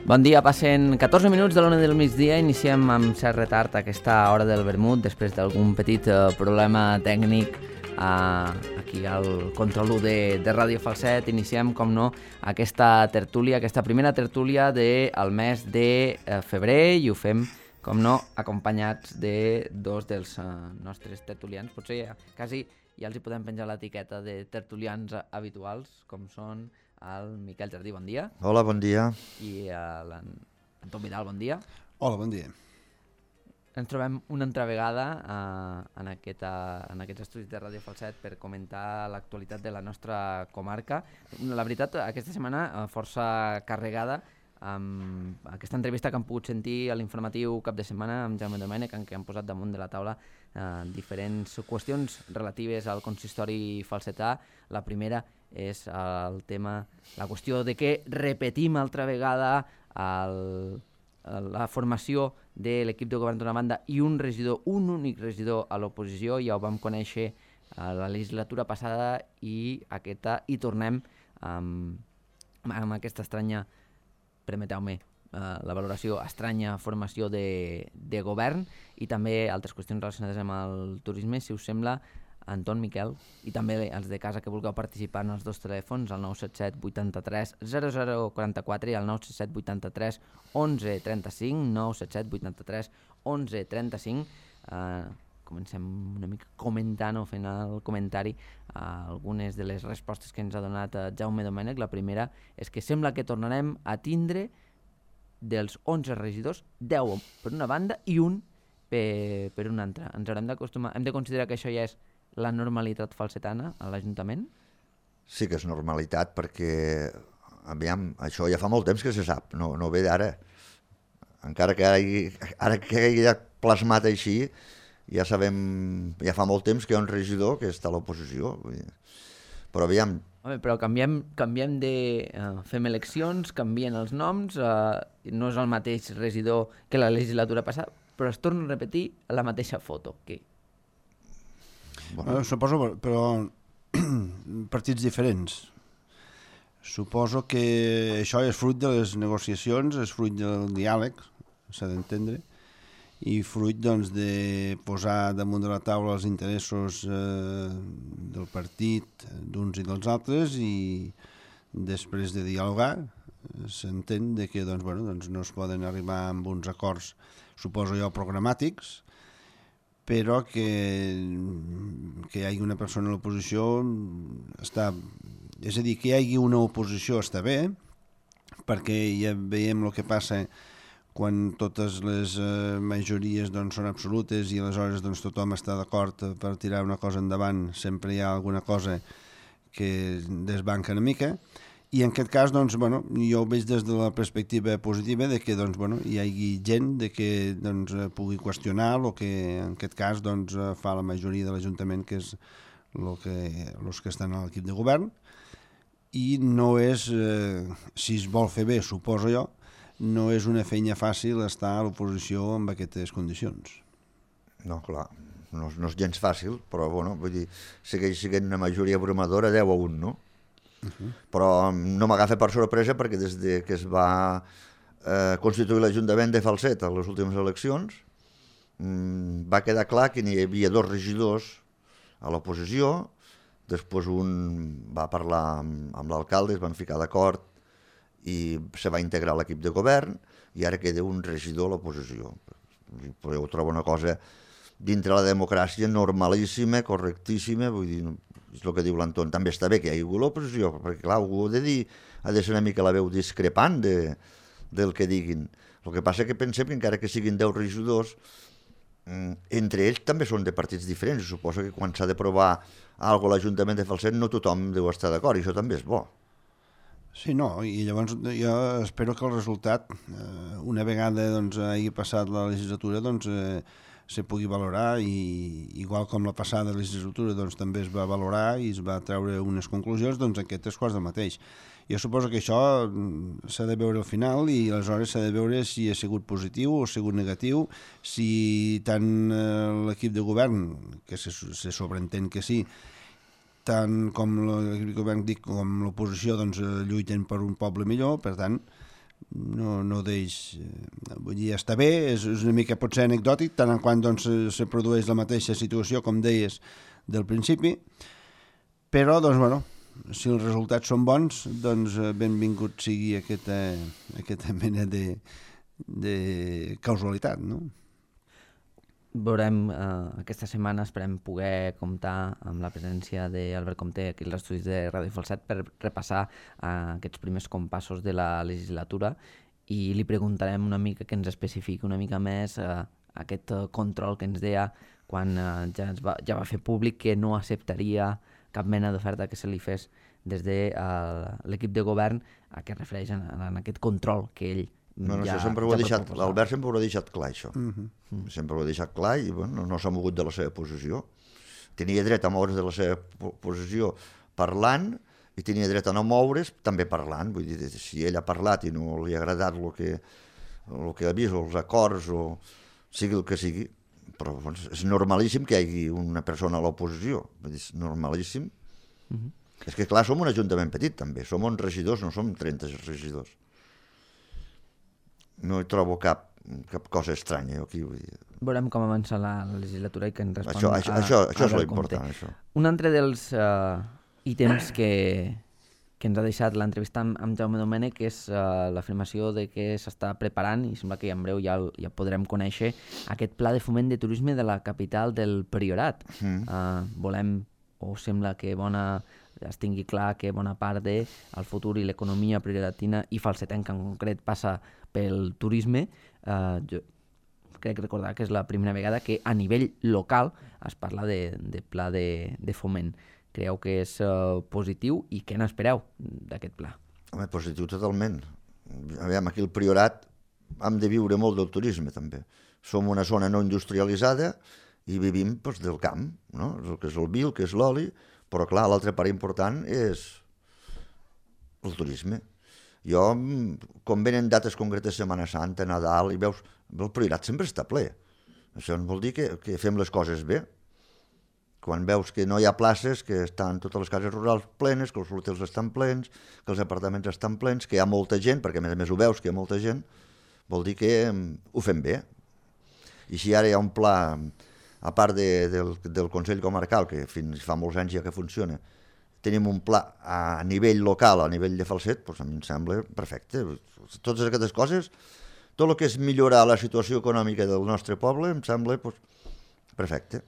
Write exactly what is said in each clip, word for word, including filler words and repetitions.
Bon dia, passen catorze minuts de l'una del migdia, iniciem amb cert retard aquesta hora del vermut després d'algun petit eh, problema tècnic eh, aquí al control u de, de Ràdio Falset. Iniciem, com no, aquesta tertúlia, aquesta primera tertúlia del mes de eh, febrer i ho fem, com no, acompanyats de dos dels eh, nostres tertulians. Potser ja, quasi ja els hi podem penjar l'etiqueta de tertulians habituals, com són el Miquel Jardí, bon dia. Hola, bon dia. I l'Anton Vidal, bon dia. Hola, bon dia. Ens trobem una altra vegada eh, en, aquesta, en aquests estudis de Ràdio Falset per comentar l'actualitat de la nostra comarca. La veritat, aquesta setmana eh, força carregada amb aquesta entrevista que hem pogut sentir a l'informatiu cap de setmana amb Jaume Domènech, en què han posat damunt de la taula eh, diferents qüestions relatives al consistori falsetà. La primera és el tema, la qüestió de que repetim altra vegada el, la formació de l'equip de govern d'una banda i un regidor, un únic regidor a l'oposició. Ja ho vam conèixer a la legislatura passada i aquesta hi tornem amb, amb aquesta estranya, permeteu-me, uh, la valoració estranya formació de, de govern i també altres qüestions relacionades amb el turisme. Si us sembla, Anton, Miquel, i també els de casa que vulgueu participar en els dos telèfons, el nou set set vuitanta-tres zero zero quaranta-quatre i el nou set set vuitanta-tres onze trenta-cinc, nou set set vuitanta-tres onze trenta-cinc. Uh, comencem una mica comentant o fent el comentari a algunes de les respostes que ens ha donat uh, Jaume Domènech. La primera és que sembla que tornarem a tindre dels onze regidors, deu per una banda i un per, per una altra. Ens haurem d'acostumar, hem de considerar que això ja és la normalitat falsetana a l'Ajuntament? Sí que és normalitat perquè, aviam, això ja fa molt temps que se sap, no, no ve d'ara. Encara que ara, ara que hagi plasmat així, ja sabem, ja fa molt temps que hi ha un regidor que està a l'oposició. Però aviam... Home, però canviem, canviem de... Uh, fem eleccions, canvien els noms, uh, no és el mateix regidor que la legislatura passada, però es torna a repetir la mateixa foto. Què? Bueno. Eh, suposo, però partits diferents. Suposo que això és fruit de les negociacions, és fruit del diàleg, s'ha d'entendre, i fruit doncs, de posar damunt de la taula els interessos eh, del partit d'uns i dels altres i després de dialogar s'entén de que doncs, bueno, doncs no es poden arribar amb uns acords, suposo jo, programàtics, però que, que hi hagi una persona a l'oposició està... És a dir, que hi hagi una oposició està bé, perquè ja veiem el que passa quan totes les eh, majories doncs, són absolutes i aleshores doncs, tothom està d'acord per tirar una cosa endavant, sempre hi ha alguna cosa que desbanca una mica. I en aquest cas, doncs, bueno, jo ho veig des de la perspectiva positiva de que doncs, bueno, hi hagi gent de que doncs, pugui qüestionar el que en aquest cas doncs, fa la majoria de l'Ajuntament, que és el que, els que estan a l'equip de govern. I no és, eh, si es vol fer bé, suposo jo, no és una feina fàcil estar a l'oposició amb aquestes condicions. No, clar, no, no és gens fàcil, però bueno, vull dir, segueix sent una majoria abrumadora, deu a un, no? Uh-huh. Però no m'agafa per sorpresa perquè des de que es va eh, constituir l'Ajuntament de Falset a les últimes eleccions mmm, va quedar clar que n'hi havia dos regidors a l'oposició, després un va parlar amb, amb l'alcalde, es van ficar d'acord i se va integrar a l'equip de govern i ara queda un regidor a l'oposició. Però jo trobo una cosa dintre la democràcia normalíssima, correctíssima, vull dir, és el que diu l'Anton, també està bé que hi hagi l'oposició, perquè clar, algú ha de dir, ha de ser una mica la veu discrepant de, del que diguin. El que passa que pensem que encara que siguin deu regidors, entre ells també són de partits diferents, suposo que quan s'ha d'aprovar alguna cosa a l'Ajuntament de Falset no tothom deu estar d'acord, i això també és bo. Sí, no, i llavors jo espero que el resultat, eh, una vegada doncs, hagi passat la legislatura, doncs, eh, se pugui valorar i igual com la passada legislatura doncs, també es va valorar i es va treure unes conclusions, doncs aquest és quasi el mateix. Jo suposo que això s'ha de veure al final i aleshores s'ha de veure si ha sigut positiu o ha sigut negatiu, si tant l'equip de govern, que se, se sobreentén que sí, tant com l'equip de govern dic, com l'oposició doncs, lluiten per un poble millor, per tant no, no deix... Vull dir, està bé, és, és una mica potser anecdòtic, tant en quant doncs, se, se produeix la mateixa situació, com deies, del principi, però, doncs, bueno, si els resultats són bons, doncs benvingut sigui aquesta, aquesta mena de, de causalitat, no? Veurem, eh, aquesta setmana esperem poder comptar amb la presència d'Albert Comté aquí als estudis de Ràdio Falset per repassar eh, aquests primers compassos de la legislatura i li preguntarem una mica que ens especifiqui una mica més eh, aquest control que ens deia quan eh, ja, es va, ja va fer públic que no acceptaria cap mena d'oferta que se li fes des de eh, l'equip de govern a què es refereix en, en aquest control que ell No, no, ja, això sempre ho ja ha deixat, l'Albert sempre ho ha deixat clar, això. Uh-huh. Mm. Sempre ho ha deixat clar i bueno, no s'ha mogut de la seva posició. Tenia dret a moure's de la seva posició parlant i tenia dret a no moure's també parlant. Vull dir, si ell ha parlat i no li ha agradat el que, el que ha vist, o els acords, o sigui el que sigui, però doncs, és normalíssim que hi hagi una persona a l'oposició. Vull dir, és normalíssim. Uh-huh. És que clar, som un ajuntament petit també, som uns regidors, no som trenta regidors. No hi trobo cap, cap cosa estranya aquí. Vull dir. Veurem com avança la, la legislatura i que ens respon això, això, a, això, això a és l'important. Això. Un altre dels uh, ítems que, que ens ha deixat l'entrevista amb, amb Jaume Domènech és uh, l'afirmació de que s'està preparant, i sembla que en breu ja, ja podrem conèixer, aquest pla de foment de turisme de la capital del Priorat. Mm. Uh, volem, o sembla que bona... es tingui clar que bona part del futur i l'economia prioratina i falsetenca en concret passa pel turisme. Eh, jo crec recordar que és la primera vegada que a nivell local es parla de, de pla de, de foment. Creieu que és uh, positiu i què n'espereu d'aquest pla? Home, positiu totalment. Aviam, aquí al Priorat hem de viure molt del turisme també. Som una zona no industrialitzada i vivim doncs, del camp, no? El que és el vi, el que és l'oli, però clar, l'altra part important és el turisme. Jo, com venen dates concretes, Setmana Santa, Nadal, i veus, el Priorat sempre està ple. Això vol dir que, que fem les coses bé. Quan veus que no hi ha places, que estan totes les cases rurals plenes, que els hotels estan plens, que els apartaments estan plens, que hi ha molta gent, perquè a més a més ho veus que hi ha molta gent, vol dir que ho fem bé. I si ara hi ha un pla... a part de, del, del Consell Comarcal, que fins fa molts anys ja que funciona, tenim un pla a nivell local, a nivell de Falset, doncs a mi em sembla perfecte. Totes aquestes coses, tot el que és millorar la situació econòmica del nostre poble, em sembla doncs, perfecte.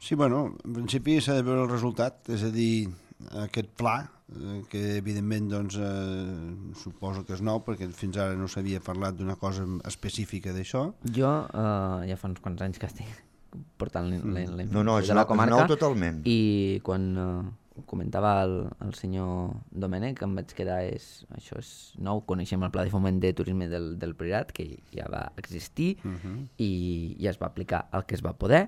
Sí, bueno, en principi s'ha de veure el resultat, és a dir, aquest pla, que evidentment doncs, eh, suposo que és nou, perquè fins ara no s'havia parlat d'una cosa específica d'això. Jo eh, ja fa uns quants anys que estic portant la, la, la no, no, és de la nou, comarca, és nou totalment. I quan eh, comentava el, el senyor Domènech em vaig quedar, és, això és nou, coneixem el pla de foment de turisme del, del Priorat, que ja va existir uh-huh. i ja es va aplicar el que es va poder,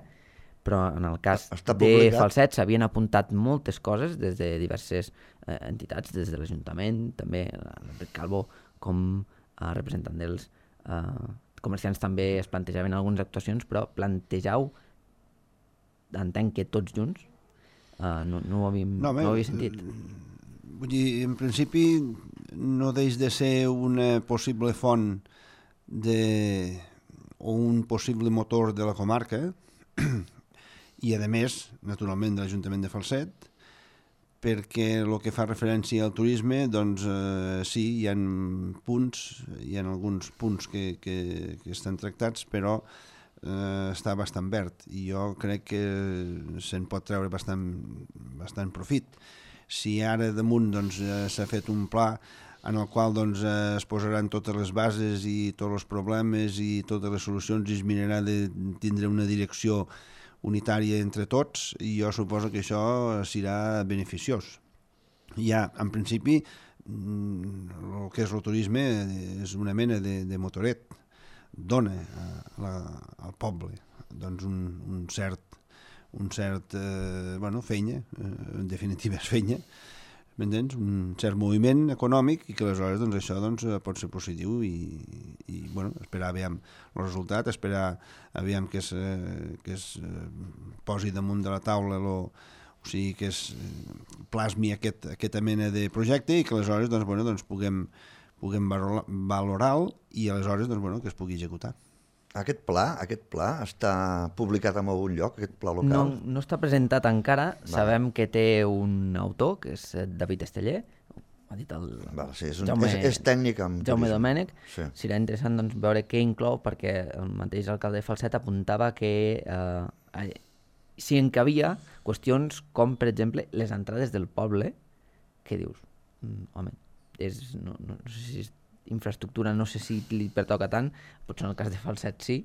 però en el cas de Falset s'havien apuntat moltes coses des de diverses eh, entitats, des de l'Ajuntament, també l'Enric Calvo com a representant dels eh, comerciants també es plantejaven algunes actuacions, però plantegeu, entenc que tots junts, eh, no, no, ho havíem, no, no ho havia sentit. Vull dir, en principi no deix de ser una possible font de, o un possible motor de la comarca, i a més, naturalment, de l'Ajuntament de Falset, perquè el que fa referència al turisme, doncs eh, sí, hi ha punts, hi ha alguns punts que, que, que estan tractats, però eh, està bastant verd, i jo crec que se'n pot treure bastant, bastant profit. Si ara damunt doncs, s'ha fet un pla en el qual doncs, es posaran totes les bases i tots els problemes i totes les solucions i es mirarà de tindre una direcció unitària entre tots, i jo suposo que això serà beneficiós. Ja, en principi, el que és el turisme és una mena de, de motoret, dona a la, al poble doncs un, un cert, un cert eh, bueno, feina, eh, en definitiva és feina, m'entens? Un cert moviment econòmic i que aleshores doncs, això doncs, pot ser positiu i, i bueno, esperar aviam el resultat, esperar aviam que es, que es posi damunt de la taula lo, o sigui que es plasmi aquest, aquesta mena de projecte i que aleshores doncs, bueno, doncs, puguem, puguem valorar-lo i aleshores doncs, bueno, que es pugui executar. Aquest pla, aquest pla està publicat en algun lloc, aquest pla local? No, no està presentat encara. Va. Sabem que té un autor, que és David Esteller, ha dit el Val, sí, és, un, Jaume, és, és tècnic amb Jaume Domènech. Sí. Serà interessant doncs, veure què inclou, perquè el mateix alcalde de Falset apuntava que eh, s'hi encabia qüestions com, per exemple, les entrades del poble, que dius, mm, home, és, no, no, no sé si és infraestructura, no sé si li pertoca tant, potser en el cas de Falset sí,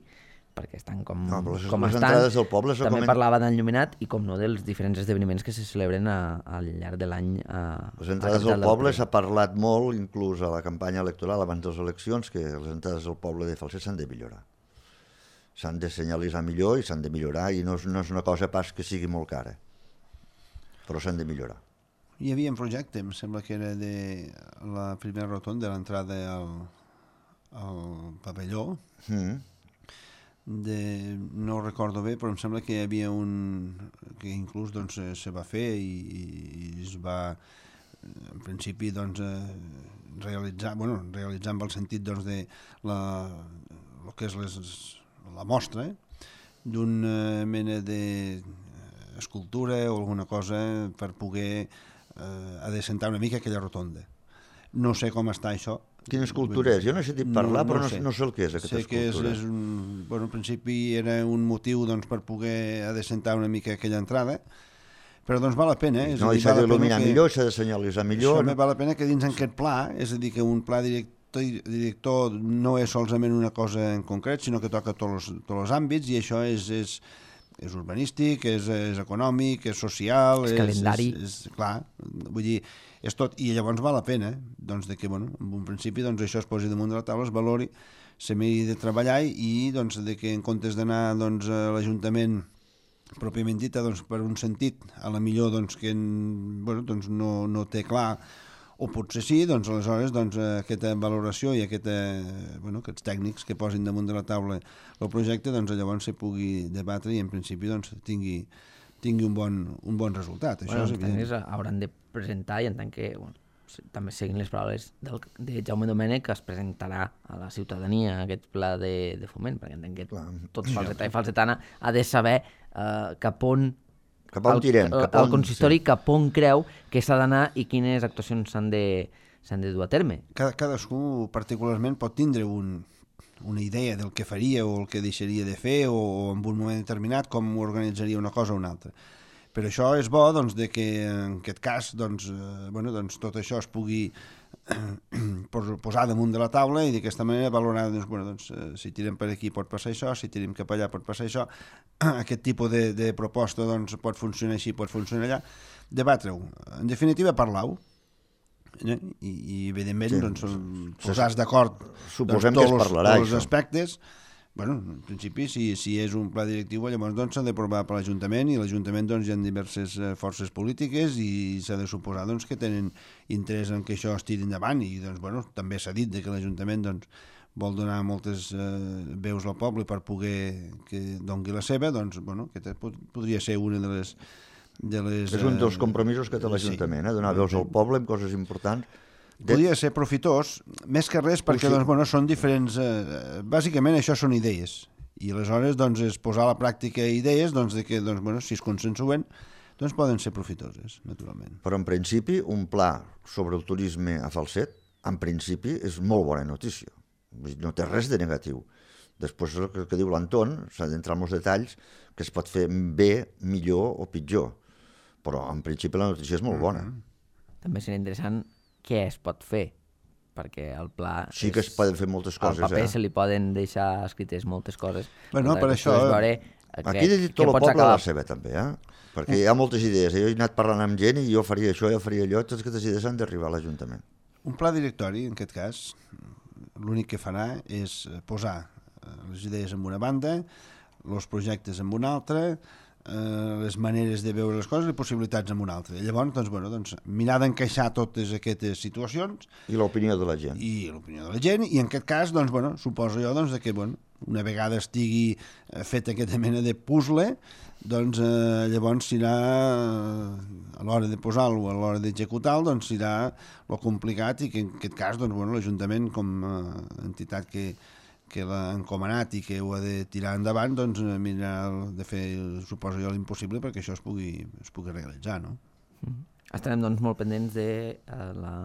perquè estan com, no, les, com les estan. Entrades del poble, també coment... parlava d'enlluminat i com no dels diferents esdeveniments que se celebren a, al llarg de l'any. A, les entrades del poble s'ha parlat molt, inclús a la campanya electoral abans de les eleccions, que les entrades del poble de Falset s'han de millorar. S'han de senyalitzar millor i s'han de millorar, i no és, no és una cosa pas que sigui molt cara, però s'han de millorar. Hi havia un projecte, em sembla que era de la primera rotonda, de l'entrada al, al pavelló, mm. de, no ho recordo bé, però em sembla que hi havia un que inclús doncs, se va fer i, i es va en principi doncs, realitzar, bueno, realitzar amb el sentit doncs, de la, el que és les, la mostra d'una mena d'escultura o alguna cosa per poder eh, adecentar una mica aquella rotonda. No sé com està això. Quina escultura és? Jo no he sentit parlar, no, no però no sé. no sé el que és aquesta sé escultura. Sé que és, és un, bueno, en principi era un motiu doncs, per poder adecentar una mica aquella entrada, però doncs val la pena. Eh? No, i s'ha d'il·luminar millor, s'ha de senyalitzar millor. Això val la pena que dins aquest pla, és a dir, que un pla director, director no és solament una cosa en concret, sinó que toca tots els, tots els àmbits, i això és... és és urbanístic, és, és econòmic, és social... És, és calendari. És, és, clar, vull dir, és tot. I llavors val la pena, doncs, de que, bueno, en un principi, doncs, això es posi damunt de la taula, es valori, se m'hi de treballar i, doncs, de que en comptes d'anar, doncs, a l'Ajuntament pròpiament dita, doncs, per un sentit, a la millor, doncs, que, bueno, doncs, no, no té clar, o potser sí, doncs, aleshores, doncs, aquesta valoració i aquesta, bueno, aquests tècnics que posin damunt de la taula el projecte, doncs, llavors se pugui debatre i, en principi, doncs, tingui, tingui un, bon, un bon resultat. Això bueno, és evident. Els tècnics hauran de presentar, i en tant que, bueno, també seguint les paraules del, de Jaume Domènech, que es presentarà a la ciutadania aquest pla de, de foment, perquè entenc que Clar. tots falsetà i falsetana ha de saber eh, cap on Cap on tirem? El, cap on, el consistori sí. cap on creu que s'ha d'anar i quines actuacions s'han de, s'han de dur a terme. Cada, cadascú particularment pot tindre un, una idea del que faria o el que deixaria de fer o, o en un moment determinat com organitzaria una cosa o una altra. Però això és bo doncs, de que en aquest cas doncs, eh, bueno, doncs, tot això es pugui posar damunt de la taula i d'aquesta manera valorar doncs, bueno, doncs, eh, si tirem per aquí pot passar això, si tirem cap allà pot passar això, aquest tipus de, de proposta doncs, pot funcionar així, pot funcionar allà, debatre-ho. En definitiva, parlar-ho. Eh? I, i evidentment sí, doncs, posar-se d'acord doncs, tots, els, tots els aspectes. Bueno, en principi, si, si és un pla directiu, llavors doncs, s'ha d'aprovar per l'Ajuntament i l'Ajuntament doncs, hi ha diverses uh, forces polítiques i s'ha de suposar doncs, que tenen interès en que això es tiri endavant i doncs, bueno, també s'ha dit de que l'Ajuntament doncs, vol donar moltes uh, veus al poble per poder que doni la seva, doncs, bueno, que podria ser una de les... De les és un dels compromisos que té l'Ajuntament, sí. eh? Donar veus al poble en coses importants. De... Podria ser profitós, més que res perquè doncs, bueno, són diferents... Eh, bàsicament això són idees i aleshores doncs, és posar a la pràctica idees doncs, de que doncs, bueno, si es consensuen doncs poden ser profitoses, naturalment. Però en principi un pla sobre el turisme a Falset en principi és molt bona notícia, no té res de negatiu. Després el que, que diu l'Anton s'ha d'entrar en els detalls que es pot fer bé, millor o pitjor, però en principi la notícia és molt bona. Mm-hmm. També seria interessant què es pot fer, perquè el pla... Sí que es poden fer moltes coses, al paper eh? se li poden deixar escrites moltes coses. Bueno, per això... Veure aquí he dit tot el poble acabar... la seva, també, eh? Perquè hi ha moltes idees. Jo he anat parlant amb gent i jo faria això, jo faria allò, totes aquestes idees han d'arribar a l'Ajuntament. Un pla directori, en aquest cas, l'únic que farà és posar les idees en una banda, els projectes en una altra, eh, les maneres de veure les coses i possibilitats en una altra. I llavors, doncs, bueno, doncs, mirar d'encaixar totes aquestes situacions. I l'opinió de la gent. I l'opinió de la gent, i en aquest cas, doncs, bueno, suposo jo doncs, que, bueno, una vegada estigui fet aquesta mena de puzzle, doncs eh, llavors serà, eh, a l'hora de posar-lo, a l'hora d'executar-lo, doncs serà lo complicat i que en aquest cas doncs, bueno, l'Ajuntament com a entitat que, que l'ha encomanat i que ho ha de tirar endavant, doncs mirarà de fer, suposo jo, l'impossible perquè això es pugui, es pugui realitzar, no? Mm-hmm. Estarem doncs molt pendents de uh, la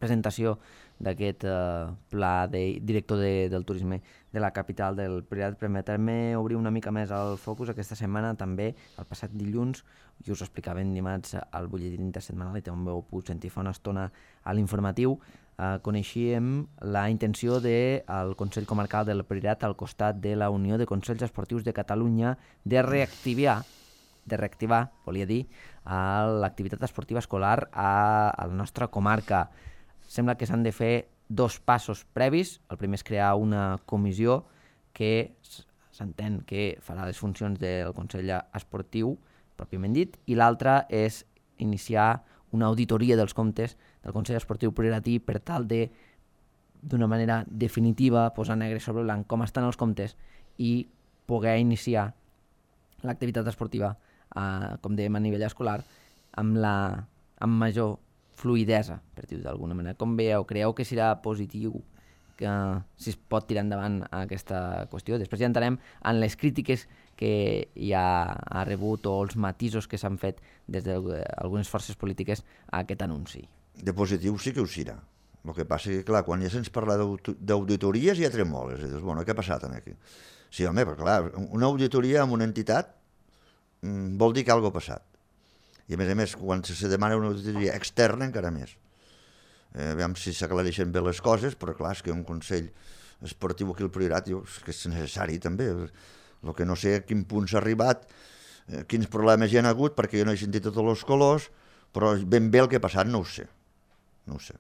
presentació d'aquest uh, pla de director de, del turisme de la capital del Priorat. Permetem-me obrir una mica més el focus aquesta setmana també, el passat dilluns, i us ho explicaven dimarts al butlletí intersetmanal i també ho puc sentir fa una estona a l'informatiu. Uh, coneixíem la intenció del Consell Comarcal del Priorat al costat de la Unió de Consells Esportius de Catalunya de reactivar de reactivar, volia dir, l'activitat esportiva escolar a, a la nostra comarca. Sembla que s'han de fer dos passos previs. El primer és crear una comissió que s'entén que farà les funcions del Consell Esportiu, pròpiament dit, i l'altre és iniciar una auditoria dels comptes del Consell Esportiu Prioratí per tal de, d'una manera definitiva, posar negre sobre blanc com estan els comptes i poder iniciar l'activitat esportiva, eh, com dèiem, a nivell escolar, amb, la, amb major fluidesa, per dir-ho d'alguna manera. Com veieu, creieu que serà positiu que si es pot tirar endavant aquesta qüestió? Després ja entrarem en les crítiques que hi ha, ha rebut o els matisos que s'han fet des d'algunes forces polítiques a aquest anunci. De positiu sí que ho serà. El que passa que, clar, quan ja se'ns parla d'auditories ja tremoles. I dius, bueno, què ha passat aquí? Sí, home, però clar, una auditoria amb una entitat mm, vol dir que alguna cosa ha passat. I a més a més, quan se demana una auditoria externa, encara més. Eh, veiem si s'aclareixen bé les coses, però clar, és que un consell esportiu aquí al Priorat diu que és necessari també. El que no sé a quin punt s'ha arribat, eh, quins problemes hi ha hagut, perquè jo no he sentit tots els colors, però ben bé el que ha passat no ho sé. No ho sé.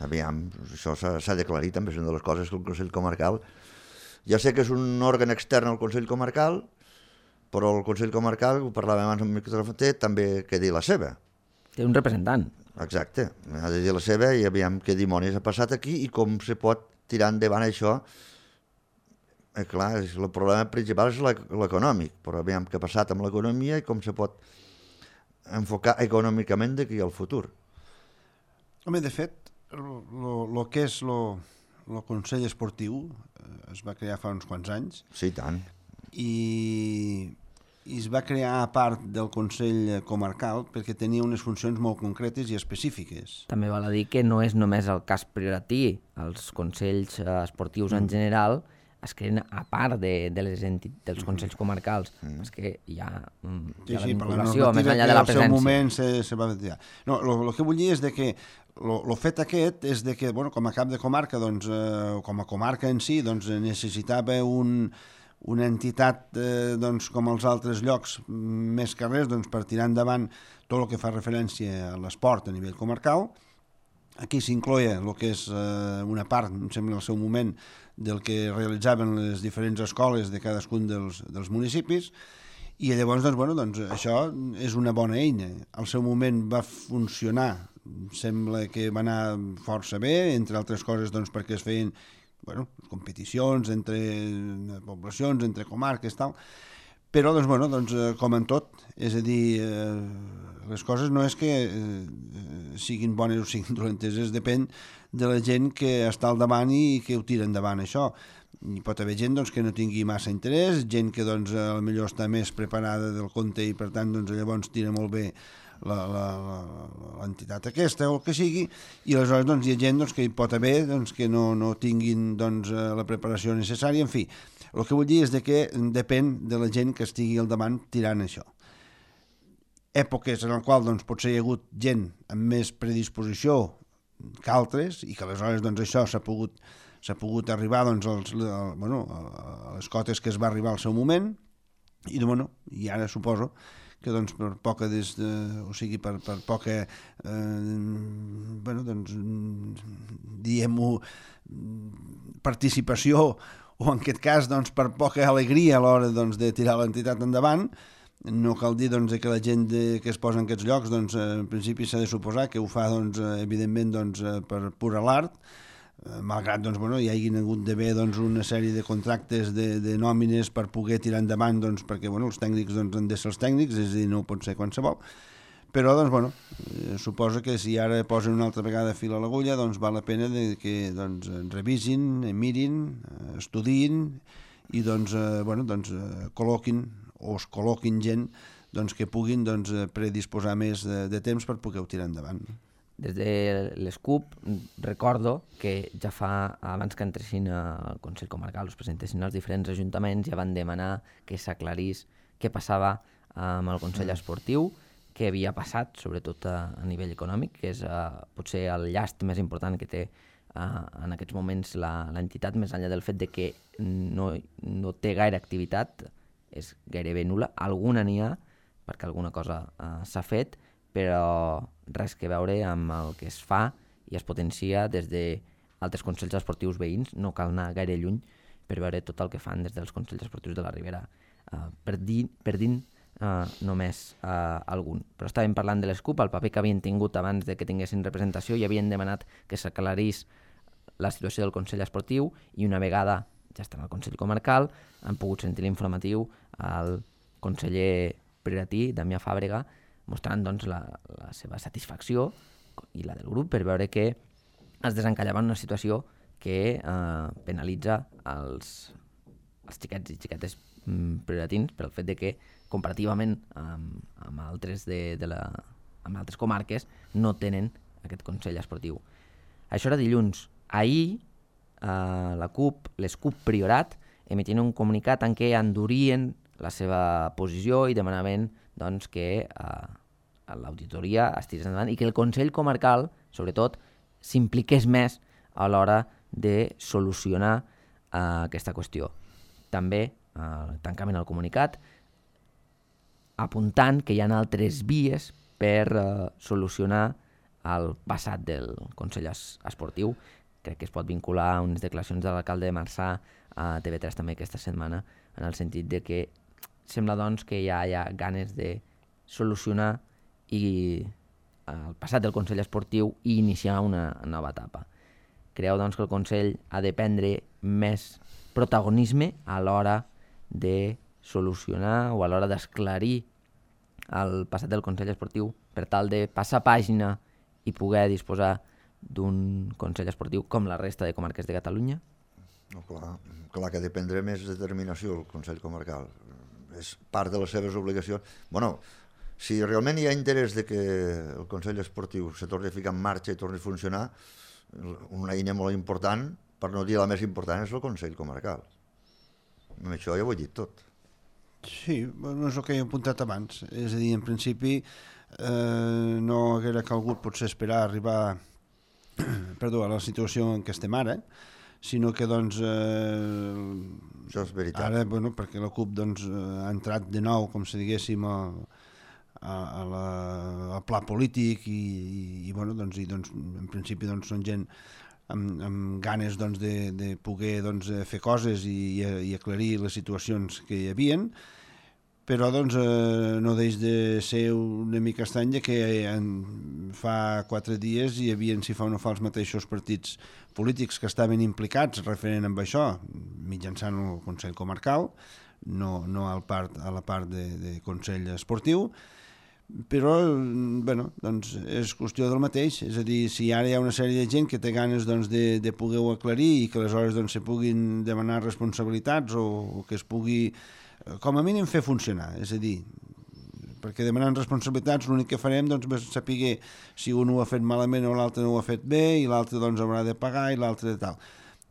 Aviam, això s'ha d'aclarir també, és una de les coses que el Consell Comarcal... Ja sé que és un òrgan extern al Consell Comarcal, però el Consell Comarcal, ho parlàvem abans amb el micròfon, també que dir la seva. Té un representant. Exacte, ha de dir la seva i aviam què dimonis ha passat aquí i com se pot tirar endavant això. Eh, clar, el problema principal és l'econòmic, però aviam què ha passat amb l'economia i com se pot enfocar econòmicament d'aquí al futur. Home, de fet, el que és el Consell Esportiu eh, es va crear fa uns quants anys. Sí, tant. I, i es va crear a part del Consell Comarcal perquè tenia unes funcions molt concretes i específiques. També val a dir que no és només el cas prioratí. Els consells esportius mm. en general es creen a part de, de les enti- dels consells comarcals. Mm. És que hi ha, mm, hi ha sí, sí, la vinculació, la més enllà de la presència. En el seu moment se, se va retirar. No, el que vull dir és de que el fet aquest és de que, bueno, com a cap de comarca, doncs, eh, com a comarca en si, doncs, necessitava un, una entitat eh, doncs, com els altres llocs, més que res, doncs, per tirar endavant tot el que fa referència a l'esport a nivell comarcal. Aquí s'incloia el que és eh, una part, em sembla, al seu moment, del que realitzaven les diferents escoles de cadascun dels, dels municipis, i llavors, doncs, bueno, doncs, això és una bona eina. Al seu moment va funcionar, sembla que va anar força bé, entre altres coses doncs, perquè es feien bueno, competicions entre poblacions, entre comarques, tal. Però, doncs, bueno, doncs, com en tot, és a dir, eh, les coses no és que eh, siguin bones o siguin dolentes, es depèn de la gent que està al davant i que ho tira endavant, això. Hi pot haver gent doncs, que no tingui massa interès, gent que doncs, potser està més preparada del compte i per tant doncs, llavors tira molt bé l'entitat aquesta o el que sigui, i aleshores doncs, hi ha gent doncs, que hi pot haver doncs, que no, no tinguin doncs, la preparació necessària. En fi, el que vull dir és de que depèn de la gent que estigui al davant tirant això. Èpoques en les quals doncs, potser hi ha hagut gent amb més predisposició que altres i que aleshores doncs, això s'ha pogut, s'ha pogut arribar doncs, als, a, bueno, a les cotes que es va arribar al seu moment i, bueno, i ara suposo que doncs, per poca des de, o sigui, per, per poca eh, bueno, doncs, diguem-ho, participació o en aquest cas doncs, per poca alegria a l'hora doncs, de tirar l'entitat endavant, no cal dir doncs, que la gent de, que es posa en aquests llocs doncs, en principi s'ha de suposar que ho fa doncs, evidentment doncs, per pura l'art, malgrat doncs, bueno, hi hagi hagut d'haver doncs, una sèrie de contractes de, de nòmines per poder tirar endavant, doncs, perquè bueno, els tècnics doncs, han de ser els tècnics, és a dir, no pot ser qualsevol. Però doncs, bueno, eh, suposo que si ara posen una altra vegada fil a l'agulla, doncs val la pena de que doncs, revisin, mirin, estudiïn i doncs, eh, bueno, doncs, eh, col·loquin o es col·loquin gent doncs, que puguin doncs, predisposar més de, de temps per poder tirar endavant. Des de l'S C U P recordo que ja fa, abans que entressin al Consell Comarcal, es presentessin els diferents ajuntaments, ja van demanar que s'aclarís què passava amb el Consell Esportiu, què havia passat, sobretot a, a nivell econòmic, que és uh, potser el llast més important que té uh, en aquests moments l'entitat, més enllà del fet de que no, no té gaire activitat, és gairebé nul·la, alguna n'hi ha, perquè alguna cosa uh, s'ha fet, però res que veure amb el que es fa i es potencia des d'altres consells esportius veïns. No cal anar gaire lluny per veure tot el que fan des dels consells esportius de la Ribera, uh, perdint, perdint uh, només uh, algun. Però estàvem parlant de l'S C U P, el paper que havien tingut abans de que tinguessin representació, i havien demanat que s'aclarís la situació del Consell Esportiu, i una vegada ja estan al Consell Comarcal han pogut sentir l'informatiu al conseller prioratí, Damià Fàbrega, mostrant doncs, la, la seva satisfacció i la del grup per veure que es desencallava en una situació que eh, penalitza els, els xiquets i xiquetes mm, prioratins pel fet de que comparativament amb, amb, altres de, de la, amb altres comarques no tenen aquest Consell Esportiu. Això era dilluns. Ahir eh, la C U P, l'S C U P Priorat, emitien un comunicat en què endurien la seva posició i demanaven doncs, que eh, l'auditoria es tirés endavant i que el Consell Comarcal, sobretot, s'impliqués més a l'hora de solucionar eh, aquesta qüestió. També eh, tancament al comunicat apuntant que hi ha altres vies per eh, solucionar el passat del Consell Esportiu. Crec que es pot vincular a unes declaracions de l'alcalde de Marçà a T V tres també aquesta setmana, en el sentit de que sembla doncs, que ja hi ha ganes de solucionar i el passat del Consell Esportiu i iniciar una nova etapa. Creu doncs, que el Consell ha de prendre més protagonisme a l'hora de solucionar o a l'hora d'esclarir el passat del Consell Esportiu per tal de passar pàgina i poder disposar d'un Consell Esportiu com la resta de comarques de Catalunya? No, clar, clar que ha de prendre més determinació el Consell Comarcal. És part de les seves obligacions. Bueno, si realment hi ha interès de que el Consell Esportiu se torni a ficar en marxa i torni a funcionar, una eina molt important, per no dir la més important, és el Consell Comarcal. Amb això ja ho he dit tot. Sí, no és el que he apuntat abans. És a dir, en principi eh, no haguera calgut potser esperar a arribar perdó, a la situació en què estem ara, sinó que doncs eh, això és veritat. Ara, bueno, perquè la C U P doncs, ha entrat de nou, com si diguéssim, a, a, a la, al pla polític i, i, i, bueno, doncs, i doncs, en principi doncs, són gent amb, amb ganes doncs, de, de poder doncs, fer coses i, i aclarir les situacions que hi havien, però doncs, eh, no deix de ser una mica estrany que en, fa quatre dies hi havia, si fa o no fa, els mateixos partits polítics que estaven implicats referent amb això, mitjançant el Consell Comarcal, no, no al part, a la part de, de Consell Esportiu, però bueno, doncs és qüestió del mateix, és a dir, si ara hi ha una sèrie de gent que té ganes doncs, de, de poder-ho aclarir i que aleshores doncs, se puguin demanar responsabilitats o, o que es pugui com a mínim fer funcionar, és a dir, perquè demanant responsabilitats l'únic que farem doncs, és saber si un ho ha fet malament o l'altre no ho ha fet bé i l'altre doncs, haurà de pagar i l'altre de tal.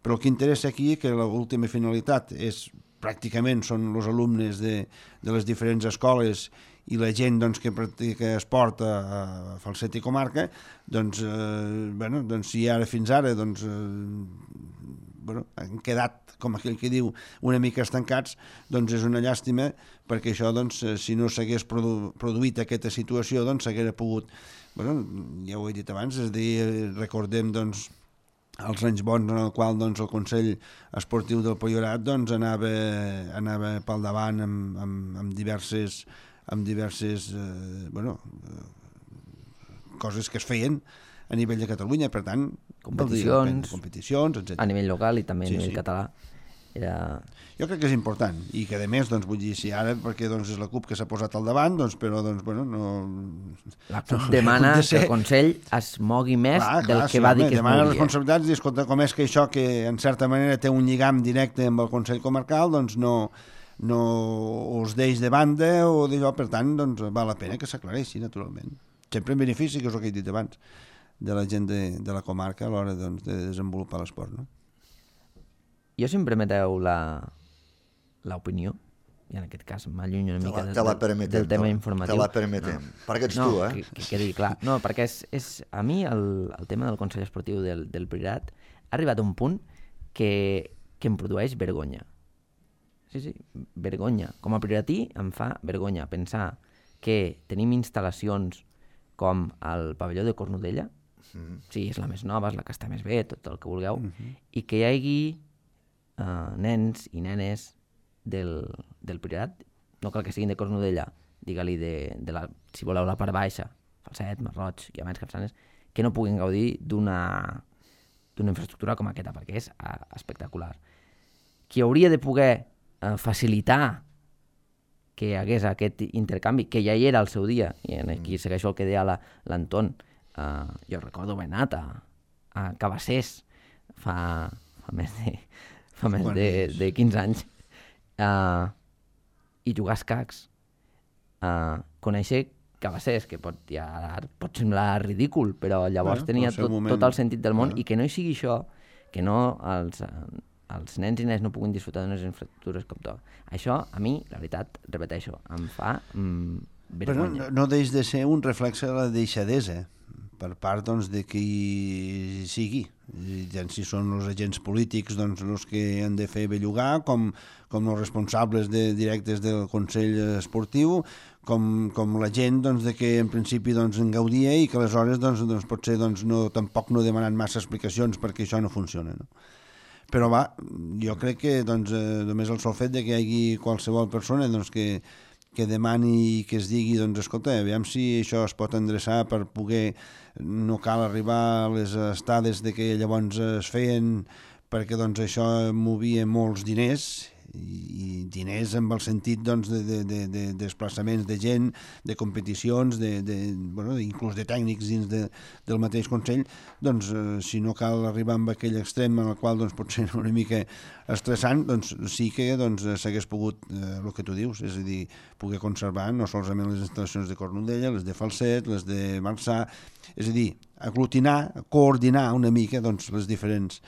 Però el que interessa aquí és que l'última finalitat és, pràcticament són els alumnes de, de les diferents escoles i la gent doncs, que practica esport a, a Falset i comarca, doncs, eh, bueno, doncs si ara fins ara doncs, eh, bueno, han quedat, com aquell que diu, una mica estancats, doncs és una llàstima, perquè això, doncs, si no s'hagués produ produït aquesta situació, doncs s'hagués pogut, bueno, ja ho he dit abans, és a dir, recordem, doncs, els anys bons en el qual doncs, el Consell Esportiu del Priorat doncs, anava, anava pel davant amb, amb, amb diverses, amb diverses eh, bueno, eh, coses que es feien a nivell de Catalunya. Per tant, competicions, competicions etcètera. A nivell local i també a sí, nivell sí. català. Era... Jo crec que és important i que a més, doncs, vull dir, si ara perquè doncs, és la CUP que s'ha posat al davant, doncs, però doncs, bueno, no... La CUP no, demana de ser... que el Consell es mogui més clar, clar, del que sí, va dir que es demana moguia. Responsabilitats i escolta, com és que això que en certa manera té un lligam directe amb el Consell Comarcal, doncs no, no us deix de banda o d'allò, per tant, doncs val la pena que s'aclareixi, naturalment. Sempre en benefici, que és el que he dit abans, de la gent de, de la comarca a l'hora doncs, de desenvolupar l'esport, no? Jo, si em permeteu l'opinió, i en aquest cas m'allunyo una mica te la, te la del, del tema informatiu. Te la permetem, no. Perquè ets no, tu, eh? Que, que quedi clar. No, perquè és, és, a mi el, el tema del Consell Esportiu del, del Priorat ha arribat a un punt que, que em produeix vergonya. Sí, sí, vergonya. Com a prioratí em fa vergonya pensar que tenim instal·lacions com el pavelló de Cornudella, mm. sí, és la més nova, és la que està més bé, tot el que vulgueu, mm-hmm. i que hi hagi Uh, nens i nenes del, del Priorat, no cal que siguin de Cornudella, digue-li de, de la, si voleu la part baixa, Falset, Masroig, Guiamets, Capçanes, que no puguin gaudir d'una d'una infraestructura com aquesta, perquè és uh, espectacular. Qui hauria de poder uh, facilitar que hi hagués aquest intercanvi, que ja hi era al seu dia, i aquí segueixo el que deia l'Anton, uh, jo recordo haver anat a, a Cabassers fa, fa més de fa més de, de quinze anys, uh, i jugar a escacs, uh, conèixer Cabassers, que pot, ja, pot semblar ridícul, però llavors bueno, tenia tot, moment... tot el sentit del món, ah. i que no hi sigui això, que no els, els nens i nenes no puguin disfrutar d'unes infraestructures com tot. Això, a mi, la veritat, repeteixo, em fa mm, vergonya. Però no, no deix de ser un reflexe de la deixadesa per part doncs, de qui sigui. Tant si són els agents polítics doncs, els que han de fer bellugar, com, com els responsables de, directes del Consell Esportiu, com, com la gent doncs, de que en principi doncs, en gaudia i que aleshores doncs, doncs, potser doncs, no, tampoc no demanant massa explicacions perquè això no funciona. No? Però va, jo crec que doncs, eh, només el sol fet de que hi hagi qualsevol persona doncs, que, que demani i que es digui, doncs, escolta, aviam si això es pot endreçar per poder, no cal arribar a les estades de que llavors es feien, perquè doncs, això movia molts diners, i diners amb el sentit doncs, de, de, de, de desplaçaments de gent, de competicions, de, de, bueno, inclús de tècnics dins de, del mateix Consell, doncs eh, si no cal arribar amb aquell extrem en el qual doncs, pot ser una mica estressant, doncs sí que doncs, s'hagués pogut, eh, el que tu dius, és a dir, poder conservar no solament les instal·lacions de Cornudella, les de Falset, les de Marçà, és a dir, aglutinar, coordinar una mica doncs, les diferents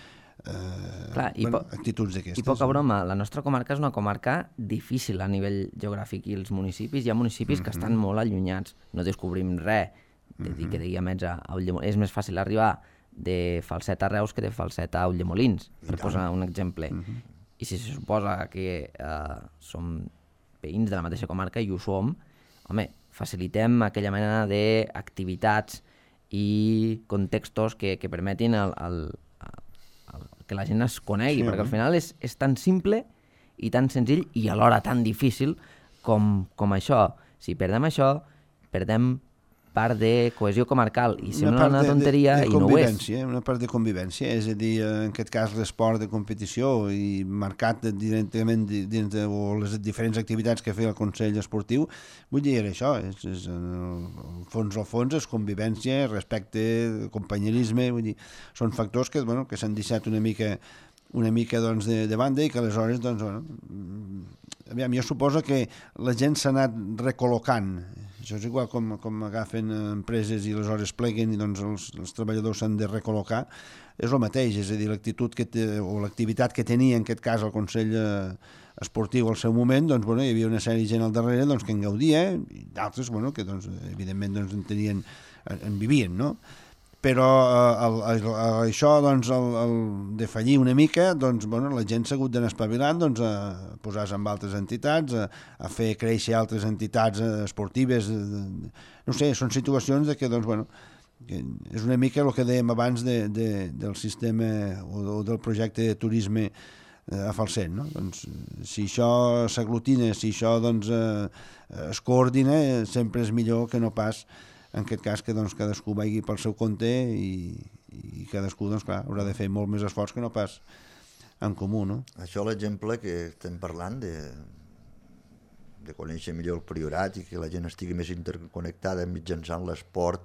Uh, Clar, i bueno, po- actituds d'aquestes. I poca broma, la nostra comarca és una comarca difícil a nivell geogràfic i els municipis, hi ha municipis mm-hmm. que estan molt allunyats, no descobrim res de dir que de Guiamets a Ulldemolins. És més fàcil arribar de Falset a Reus que de Falset a Ulldemolins, per posar un exemple. Mm-hmm. I si se suposa que uh, som veïns de la mateixa comarca i ho som, home, facilitem aquella mena d'activitats i contextos que, que permetin el, el que la gent es conegui, sí, perquè al final és, és tan simple i tan senzill i alhora tan difícil com, com això. Si perdem això, perdem part de cohesió comarcal i sembla una, una tonteria de, de, de i no ho és. Una part de convivència, és a dir, en aquest cas l'esport de competició i marcat directament dins de o les diferents activitats que feia el Consell Esportiu, vull dir, era això, és, és en el fons al fons és convivència, respecte, companyerisme, vull dir, són factors que, bueno, que s'han deixat una mica una mica doncs, de, de banda i que aleshores doncs, bueno, aviam, jo suposo que la gent s'ha anat recol·locant. Això és igual com, com agafen empreses i aleshores pleguen i doncs, els, els treballadors s'han de recol·locar. És el mateix, és a dir, l'actitud que té, o l'activitat que tenia en aquest cas el Consell Esportiu al seu moment, doncs, bueno, hi havia una sèrie de gent al darrere doncs, que en gaudia i d'altres doncs, que doncs, evidentment doncs, en, tenien, en vivien, no? Però eh, el, el, això, doncs, el, el de fallir una mica, doncs, bueno, la gent s'ha hagut d'anar espavilant doncs, a posar-se amb altres entitats, a, a fer créixer altres entitats esportives. No sé, són situacions de que, doncs, bueno, que és una mica el que dèiem abans de, de, del sistema o, o del projecte de turisme a Falset, no? Doncs, si això s'aglutina, si això doncs, eh, es coordina, sempre és millor que no pas en aquest cas que doncs, cadascú vagi pel seu compte i, i cadascú, doncs clar, haurà de fer molt més esforç que no pas en comú, no? Això l'exemple que estem parlant de, de conèixer millor el Priorat i que la gent estigui més interconnectada mitjançant l'esport.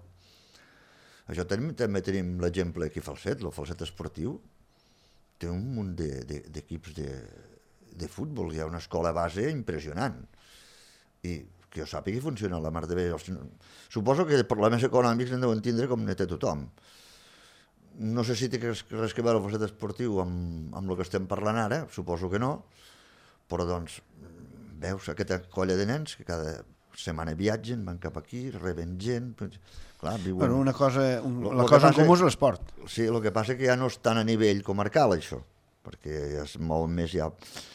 Això també, també tenim l'exemple aquí a Falset, el Falset esportiu té un munt d'equips de, de, de futbol, hi ha una escola base impressionant i que jo sàpiga que funciona la mar de bé. Suposo que problemes econòmics en deuen tindre com ne té tothom. No sé si té res que veure el Falset esportiu amb, amb el que estem parlant ara, suposo que no, però doncs veus aquesta colla de nens que cada setmana viatgen, van cap aquí, reben gent... Clar, viuen... Bueno, una cosa, un, lo, la lo cosa en comú és l'esport. Sí, el que passa que ja no és tan a nivell comarcal, això, perquè es mou més ja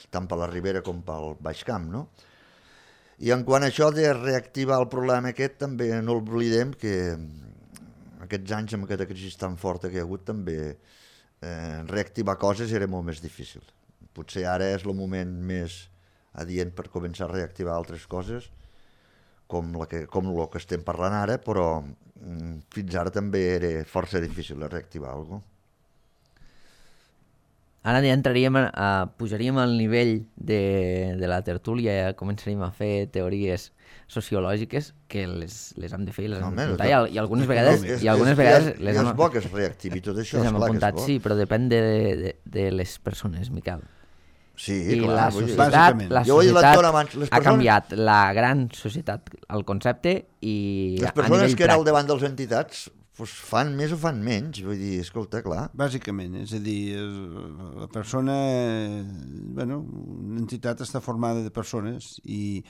tant per la Ribera com pel Baix Camp, no? I en quant a això de reactivar el problema aquest, també no oblidem que aquests anys amb aquesta crisi tan forta que hi ha hagut també eh, reactivar coses era molt més difícil. Potser ara és el moment més adient per començar a reactivar altres coses, com la que, com el que estem parlant ara, però mm, fins ara també era força difícil de reactivar alguna cosa. Ara ja entraríem, a, pujaríem al nivell de, de la tertúlia, ja començaríem a fer teories sociològiques que les, les hem de fer i les no, hem de apuntar, i, i algunes vegades, és, i algunes és, vegades és, les és hem, bo que es reactivi tot això, les hem esclar apuntat, que és bo. sí, però depèn de, de, de les persones, Miquel. Sí, I clar, la vull dir, societat, la jo societat abans, les ha persones, canviat, la gran societat, el concepte, i les a persones nivell que eren al pràctic. davant de les entitats pues, fan més o fan menys, vull dir, escolta, clar. Bàsicament, és a dir, la persona, bueno, una entitat està formada de persones i,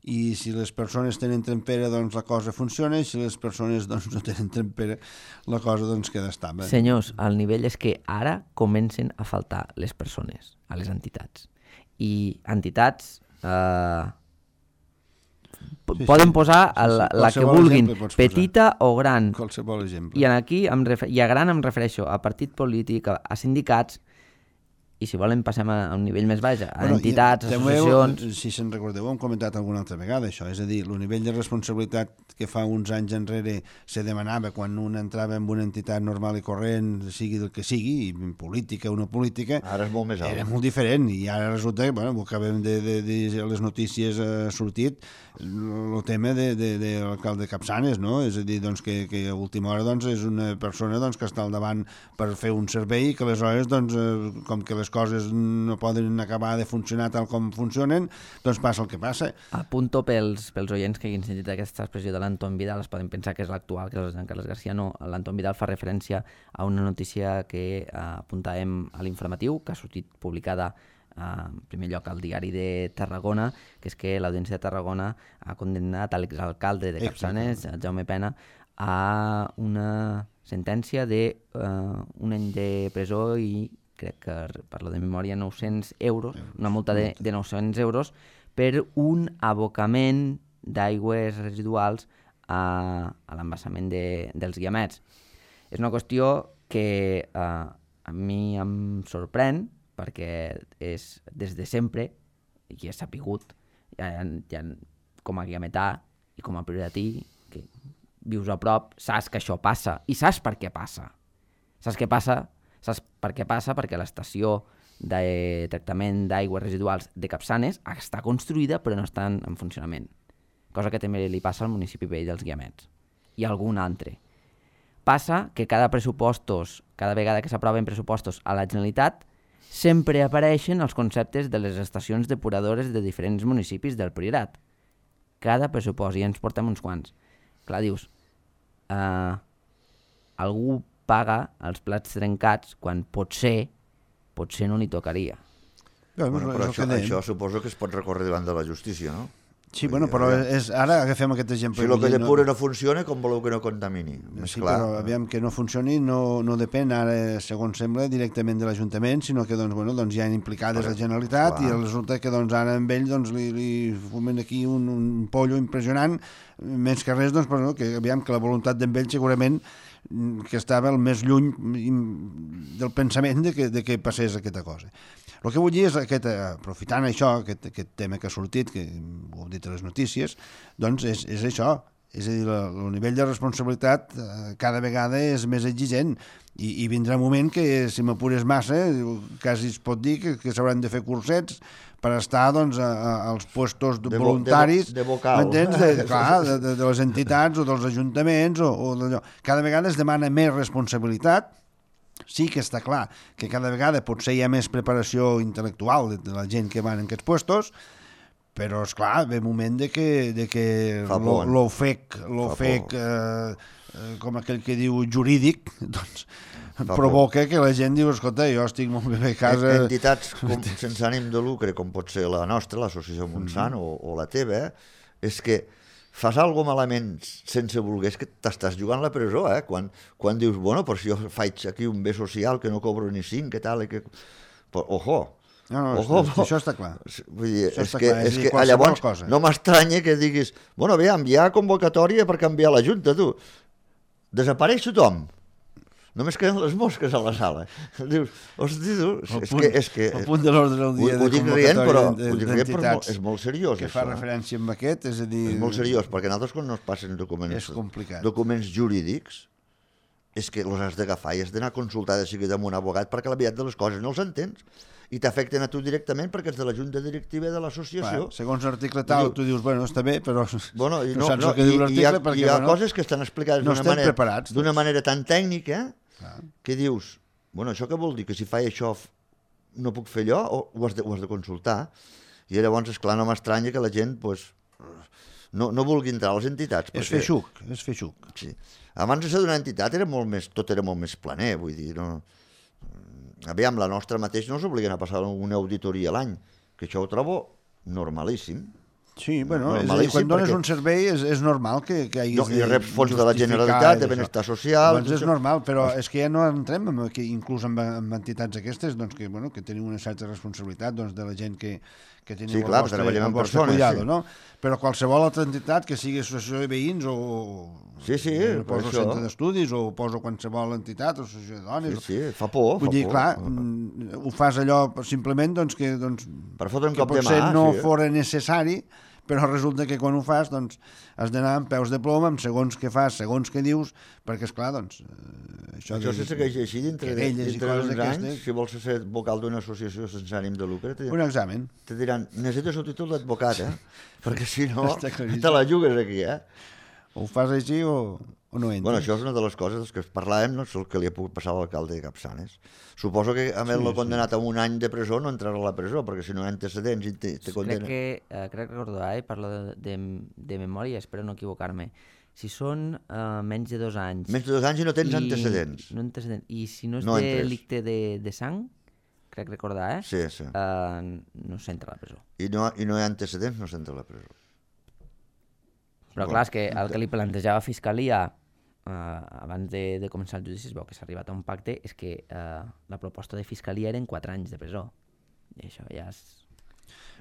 i si les persones tenen trempera, doncs la cosa funciona, i si les persones doncs, no tenen trempera, la cosa doncs queda estable. Senyors, el nivell és que ara comencen a faltar les persones a les entitats. I entitats... Eh, Sí, poden sí. posar Sí, sí. la, la que Qualsevol vulguin, exemple pots petita o gran. Qualsevol exemple. I en aquí, em refer... i a gran em refereixo a partit polític, a, a sindicats, i si volen passem a, a un nivell més baix, a bueno, entitats, i, associacions... Heu, si se'n recordeu, ho hem comentat alguna altra vegada, això, és a dir, el nivell de responsabilitat que fa uns anys enrere se demanava quan un entrava en una entitat normal i corrent, sigui del que sigui, i política o no política, Ara és molt més alt. era molt diferent, i ara resulta que, bueno, ho acabem de, de, de, de les notícies ha sortit, el tema de, de, de l'alcalde Capçanes, no? És a dir, doncs, que, que a última hora doncs, és una persona doncs, que està al davant per fer un servei i que aleshores, doncs, eh, com que les coses no poden acabar de funcionar tal com funcionen, doncs passa el que passa. Apunto pels, pels oients que hagin sentit aquesta expressió de l'Anton Vidal, es poden pensar que és l'actual, que és el Jean Carles García. No, l'Anton Vidal fa referència a una notícia que eh, apuntàvem a l'informatiu, que ha sortit publicada en primer lloc al diari de Tarragona, que és que l'Audiència de Tarragona ha condemnat a l'exalcalde de Capçanes, Jaume Pena, a una sentència de uh, un any de presó i crec que parlo de memòria nou-cents euros, una multa de, de nou-cents euros per un abocament d'aigües residuals a, a l'embassament de, dels Guiamets. És una qüestió que uh, a mi em sorprèn, perquè és des de sempre, i és sapigut, ja, ja, com a guiametà i com a prioratí, que vius a prop, saps que això passa, i saps per què passa. Saps què passa? Saps per què passa? Perquè l'estació de tractament d'aigües residuals de Capçanes està construïda però no està en, en funcionament, cosa que també li passa al municipi vell dels Guiamets i algun altre. Passa que cada pressupostos, cada vegada que s'aproven pressupostos a la Generalitat, sempre apareixen els conceptes de les estacions depuradores de diferents municipis del Priorat. Cada pressupost, i ens portem uns quants. Clar, dius, eh, algú paga els plats trencats quan potser, potser no li tocaria. Bueno, Bueno, però és el això, que dèiem. això suposo que es pot recórrer davant de la justícia, no? Sí, bueno, però és, ara agafem aquest exemple. Si el que depura no funciona, com voleu que no contamini? Més Sí, clar. però aviam, que no funcioni no, no depèn ara, segons sembla, directament de l'Ajuntament, sinó que doncs, bueno, doncs, hi ha implicades Però, la Generalitat clar. i resulta que doncs, ara amb ell doncs, li, li fumen aquí un, un pollo impressionant, més que res, doncs, però, no, que aviam que la voluntat d'en ell segurament que estava el més lluny del pensament de que, de que passés aquesta cosa. El que vull dir és, aquest, aprofitant això, aquest, aquest tema que ha sortit, que ho heu dit a les notícies, doncs és, és això, és a dir, el nivell de responsabilitat eh, cada vegada és més exigent I, i vindrà un moment que, si m'apures massa, quasi es pot dir que, que s'hauran de fer cursets per estar doncs, a, a, als puestos de, de voluntaris de, de vocal. m'entens? De, clar, de, de, de les entitats o dels ajuntaments o, o d'allò. Cada vegada es demana més responsabilitat. Sí que està clar que cada vegada potser hi ha més preparació intel·lectual de, de la gent que van en aquests puestos, però, esclar, ve un moment de que, de que l'ofec, l'ofec eh, eh, com aquell que diu jurídic, doncs Fa provoca por. Que la gent diu, escolta, jo estic molt bé a casa... Entitats com, sense ànim de lucre, com pot ser la nostra, l'Associació Montsant, mm-hmm. o, o la teva, és que fas alguna malament sense voler, és que t'estàs jugant la presó, eh? Quan, quan dius, bueno, però si jo faig aquí un bé social que no cobro ni cinc, que tal, i que... Però, ojo, no, no, ojo, això, això està clar. Vull dir, això és està que, clar. És és que llavors cosa. No m'estranya que diguis, bueno, aviam, hi ha convocatòria per canviar la Junta, tu. Desapareix tothom. Només queden les mosques a la sala. Dius, hosti, tu, és punt, que... És que el punt de l'ordre del dia ho, de convocatòria d'entitats és molt seriós, que això, fa referència amb aquest, és a dir... És molt seriós, perquè nosaltres quan no es passen documents, documents jurídics, és que els has d'agafar i has d'anar a consultar de seguida amb un abogat perquè la veritat de les coses no els entens i t'afecten a tu directament perquè ets de la junta directiva de l'associació. Bueno, segons l'article tal, tu dius, bueno, està bé, però bueno, i no, no saps no, el que diu l'article hi ha, perquè... Hi ha bueno, coses que estan explicades no d'una manera, preparats, d'una manera tan tècnica ah. que dius, bueno, això què vol dir? Que si faig això no puc fer allò o ho has de, ho has de consultar? I llavors, esclar, no m'estranya que la gent pues, no, no vulgui entrar a les entitats. És fer xuc, és fer xuc. Sí. Abans de ser d'una entitat era molt més, tot era molt més planer, vull dir, no... Aviam, la nostra mateix no s'obliguen a passar una auditoria a l'any, que això ho trobo normalíssim. Sí, bueno, és a dir, quan dones perquè... un servei és, és normal que, que hagis no, de I reps fons de la Generalitat, de Benestar Social... Doncs és això. Normal, però és que ja no entrem en, que, inclús en, en entitats aquestes doncs, que, bueno, que tenim una certa responsabilitat doncs, de la gent que, que tenim sí, el clar, vostre, el vostre persones, cuidado, sí. no? Però qualsevol altra entitat que sigui associació de veïns o... Sí, sí, no poso centre d'estudis o poso qualsevol entitat o associació de dones. Sí, sí, fa por, Vull fa dir, por. clar, ho fas allò simplement doncs, que, doncs, per fotre un que cop de mà, potser no sí. fora necessari, però resulta que quan ho fas doncs, has d'anar amb peus de ploma, amb segons què fas, segons què dius, perquè, esclar, doncs... Això, això de, se segueix així dintre, de, dintre d'uns anys, si vols ser vocal d'una associació sense ànim de lucre... Un examen. Te diran, necessites el títol d'advocat, eh? Perquè si no, te la jugues aquí, eh? O ho fas així o, o no entres. Bueno, això és una de les coses que parlàvem, no és el que li ha pogut passar a l'alcalde de Capçanes. Suposo que a més sí, l'ha condemnat sí. a un any de presó, no entrarà a la presó, perquè si no hi ha antecedents i te, te condena... Crec que, eh, crec recordar, eh, parlo de, de, de memòria, espero no equivocar-me. Si són eh, menys de dos anys... Menys de dos anys i no tens i, antecedents. No antecedents. I si no és no de entres. delicte de, de sang, crec recordar, eh? Sí, sí. Eh, no s'entra a la presó. I no, I no hi ha antecedents, no s'entra a la presó. Però clar, és que el que li plantejava Fiscalia eh, abans de, de començar el judici, es veu que s'ha arribat a un pacte, és que eh, la proposta de Fiscalia eren quatre anys de presó. I això ja és...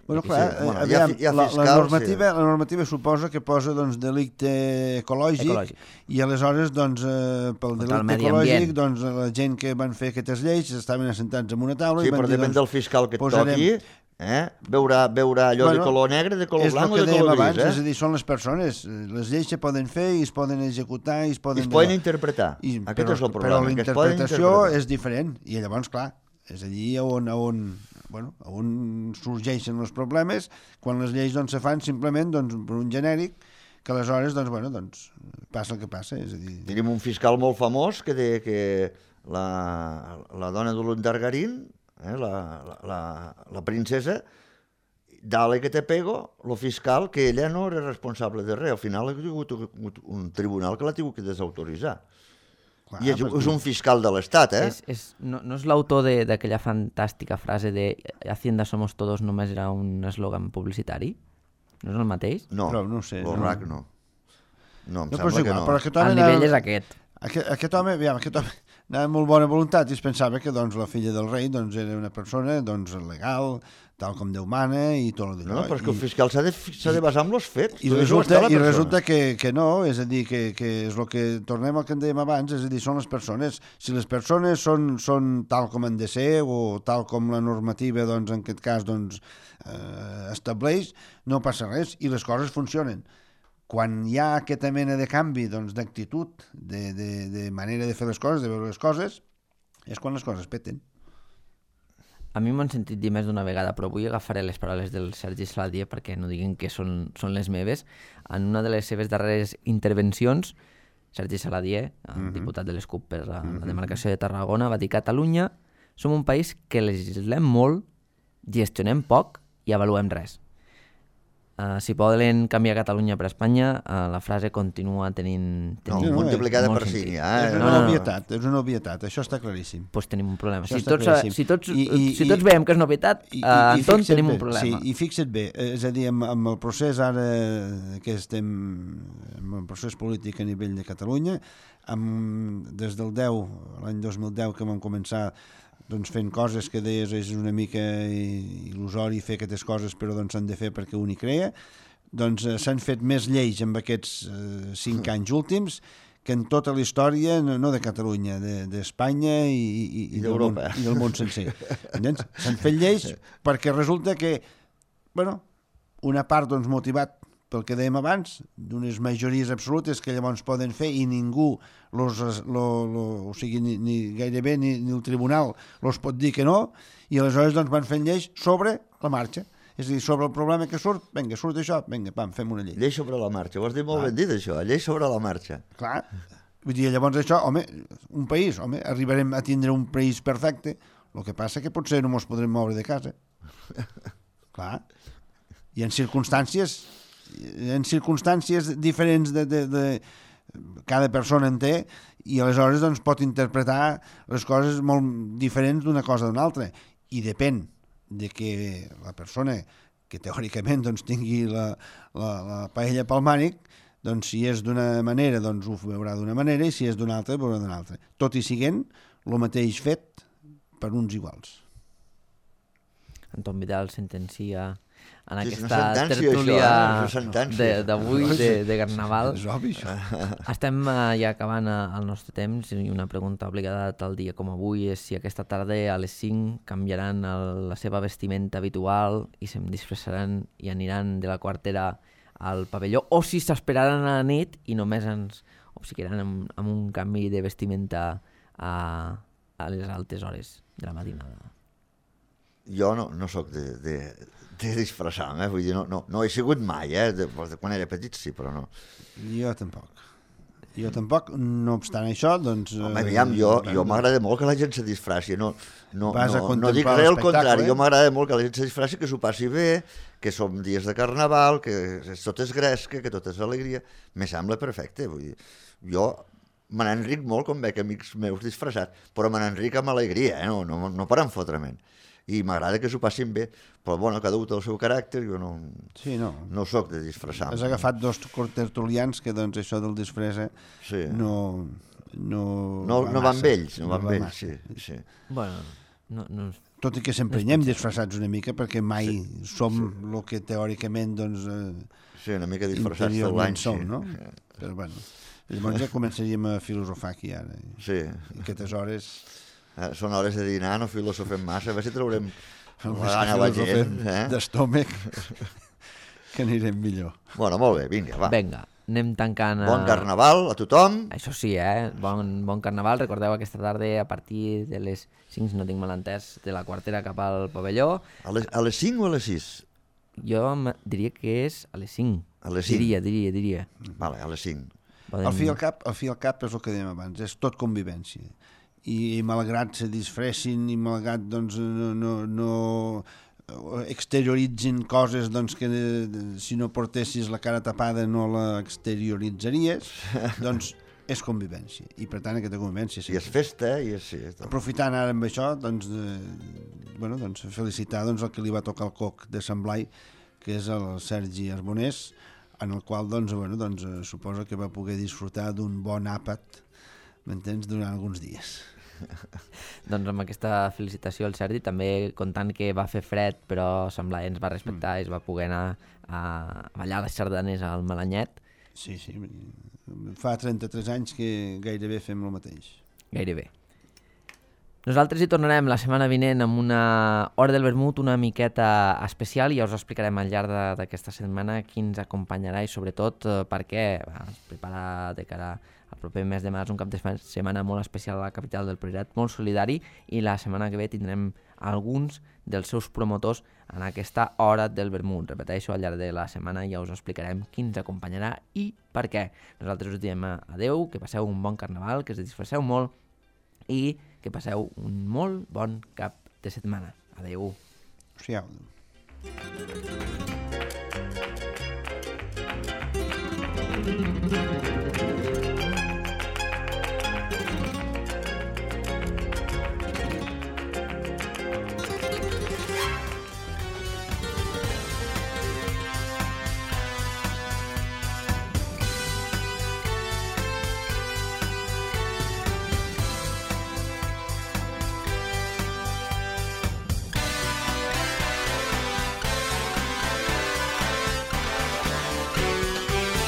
Bueno, clar, sí. bueno, aviam, hi ha, hi ha fiscal, la, la, normativa, sí. la normativa suposa que posa doncs, delicte ecològic, ecològic. I aleshores doncs, eh, pel Contra delicte ecològic doncs, la gent que van fer aquestes lleis estaven assentats en una taula sí, i van dir... Sí, però depèn doncs, del fiscal que et posarem... toqui, eh? veurà, veurà allò bueno, de color negre, de color blanc o de color abans, gris. Eh? És a dir, són les persones, les lleis se poden fer i es poden executar i es poden... I es poden interpretar, I, aquest però, és el problema. Però la interpretació és diferent i llavors, clar, és allí on... on bueno, on sorgeixen els problemes quan les lleis doncs, se fan simplement doncs, per un genèric que aleshores doncs, bueno, doncs, passa el que passa. És a dir... Tenim un fiscal molt famós que deia que la, la dona de l'Undargarín, eh, la, la, la, la princesa, dale que te pego, lo fiscal, que ella no era responsable de res. Al final ha hagut un tribunal que l'ha tingut que desautoritzar. Clar, I és, és un fiscal de l'Estat, eh? És, és, no, no és l'autor d'aquella fantàstica frase de Hacienda somos todos només era un eslògan publicitari? No és el mateix? No, però no sé, l'O-R A C no. No, em no, sembla igual, que no. Però aquest home el nivell era... és aquest. Aquest, aquest home, aviam, aquest home anava amb molt bona voluntat i es pensava que doncs, la filla del rei doncs, era una persona doncs, legal, tal com Déu mana i tot el no, no, però és que el fiscal s'ha de, de basar en els fets. I, resulta, i resulta que, que no, és a dir, que, que és el que tornem al que en dèiem abans, és a dir, són les persones. Si les persones són, són tal com han de ser o tal com la normativa doncs, en aquest cas doncs, eh, estableix, no passa res i les coses funcionen. quan hi ha aquesta mena de canvi doncs, d'actitud, de, de, de manera de fer les coses, de veure les coses, és quan les coses peten. A mi m'han sentit dir més d'una vegada, però avui agafaré les paraules del Sergi Saladié perquè no diguin que són, són les meves. En una de les seves darreres intervencions, Sergi Saladié, el uh-huh. diputat de l'S C U P per la, uh-huh. la demarcació de Tarragona, va dir: Catalunya som un país que legislem molt, gestionem poc i avaluem res. Uh, si poden canviar Catalunya per Espanya, uh, la frase continua tenint... No, tenint multiplicada per cinc. Eh? És una no, no, obvietat, és una obvietat, això està claríssim. Doncs pues tenim un problema. Això si tots, si tots, I, i, si tots veiem que és novetat, i, uh, i, Anton, tenim bé, un problema. Sí, i fixa't bé, és a dir, amb, amb el procés ara que estem, amb el procés polític a nivell de Catalunya, amb, des del deu, l'any dos mil deu que vam començar doncs fent coses que deies és una mica il·lusori fer aquestes coses, però doncs s'han de fer perquè un hi crea, doncs eh, s'han fet més lleis amb aquests eh, cinc anys últims que en tota la història, no, no de Catalunya, d'Espanya de, i, i, i, del món, i del món sencer. S'han fet lleis perquè resulta que, bueno, una part doncs, motivat pel que dèiem abans, d'unes majories absolutes que llavors poden fer i ningú, los, lo, lo, o sigui, ni, ni gairebé ni, ni el tribunal los pot dir que no, i aleshores doncs, van fent lleis sobre la marxa. És a dir, sobre el problema que surt, vinga, surt això, vinga, pam, fem una llei. Llei sobre la marxa, ho has dit molt Clar. ben dit, això, llei sobre la marxa. Clar, vull dir, llavors això, home, un país, home, arribarem a tindre un país perfecte, el que passa que potser no ens podrem moure de casa. Clar, i en circumstàncies, en circumstàncies diferents de, de, de cada persona en té, i aleshores doncs, pot interpretar les coses molt diferents d'una cosa d'una altra, i depèn de que la persona que teòricament doncs, tingui la, la, la paella pel mànic, doncs si és d'una manera doncs ho veurà d'una manera i si és d'una altra ho veurà d'una altra. Tot i siguent el mateix fet per uns iguals. Anton Vidal sentencia en sí, aquesta tertúlia eh? d'avui, de, de, de Carnaval. És obvi, això. Estem uh, ja acabant uh, el nostre temps i una pregunta obligada tal dia com avui és si aquesta tarda a les cinc canviaran el, la seva vestimenta habitual i se'm disfressaran i aniran de la quartera al pavelló o si s'esperaran a la nit i només ens obsequiaran amb, amb un canvi de vestimenta a, a les altes hores de la matinada. Jo no, no sóc de... de... de disfressar-me, eh? Vull dir, no, no, no he sigut mai, eh? De, de quan era petit sí, però no. Jo tampoc. Jo tampoc, no obstant això, doncs... Home, aviam, jo, jo m'agrada molt que la gent se disfressi, no, no, no, no dic res al contrari, jo m'agrada molt que la gent se disfressi, que s'ho passi bé, que som dies de Carnaval, que tot és gresca, que tot és alegria, me sembla perfecte, vull dir, jo me n'enric molt quan veig amics meus disfressats, però me n'enric amb alegria, eh? no, no, no per enfotrament. I m'agrada que s'ho passin bé, però bueno, cada un té el seu caràcter, jo no, sí, no. no soc de disfressar. Has agafat dos tertulians que doncs això del disfressa sí. no, no, no, va no van amb ells, no, no van amb ells, sí, sí. Bueno, no, no, tot i que sempre hi anem disfressats una mica perquè mai sí, som el sí. que teòricament doncs, eh, sí, una mica disfressats tot l'any som, sí. no? Però bueno, llavors ja començaríem a filosofar aquí ara. Sí. I aquestes hores... Eh, són hores de dinar, no filosofem massa, a veure si traurem la gana a la gent. Eh? D'estómac, que anirem millor. Bueno, molt bé, vinga, va. Vinga, anem tancant... Bon Carnaval a tothom. Això sí, eh? Bon, bon Carnaval. Recordeu aquesta tarda a partir de les cinc, si no tinc mal entès, de la quartera cap al pavelló. A les, a les cinc o a les sis? Jo diria que és a les cinc. A les cinc? Diria, diria, diria. Vale, a les cinc. Podem... Al fi al cap, al fi al cap és el que dèiem abans, és tot convivència. I malgrat se disfressin i malgrat doncs, no, no, no exterioritzin coses doncs, que si no portessis la cara tapada no la exterioritzaries, doncs és convivència. I per tant aquesta convivència... I és festa, i és... Sí, és aprofitant ara amb això, doncs, eh, bueno, doncs felicitar doncs, el que li va tocar el coc de Sant Blai, que és el Sergi Arbonés, en el qual doncs, bueno, doncs, suposo que va poder disfrutar d'un bon àpat, m'entens, durant alguns dies. Doncs amb aquesta felicitació al Sergi, també comptant que va fer fred però Sant Blai ens va respectar mm. i es va poder anar a ballar les sardanes al Malanyet. Sí, sí, fa trenta-tres anys que gairebé fem el mateix. Gairebé. Nosaltres hi tornarem la setmana vinent amb una hora del vermut una miqueta especial i ja us explicarem al llarg d'aquesta setmana qui ens acompanyarà i sobretot eh, perquè es prepara de cara al proper mes de març un cap de setmana molt especial a la capital del Priorat, molt solidari, i la setmana que ve tindrem alguns dels seus promotors en aquesta hora del vermut. Repeteixo, al llarg de la setmana ja us explicarem qui ens acompanyarà i per què. Nosaltres us diem adeu, que passeu un bon carnaval, que us disfresseu molt i que passeu un molt bon cap de setmana. Adeu. Adéu.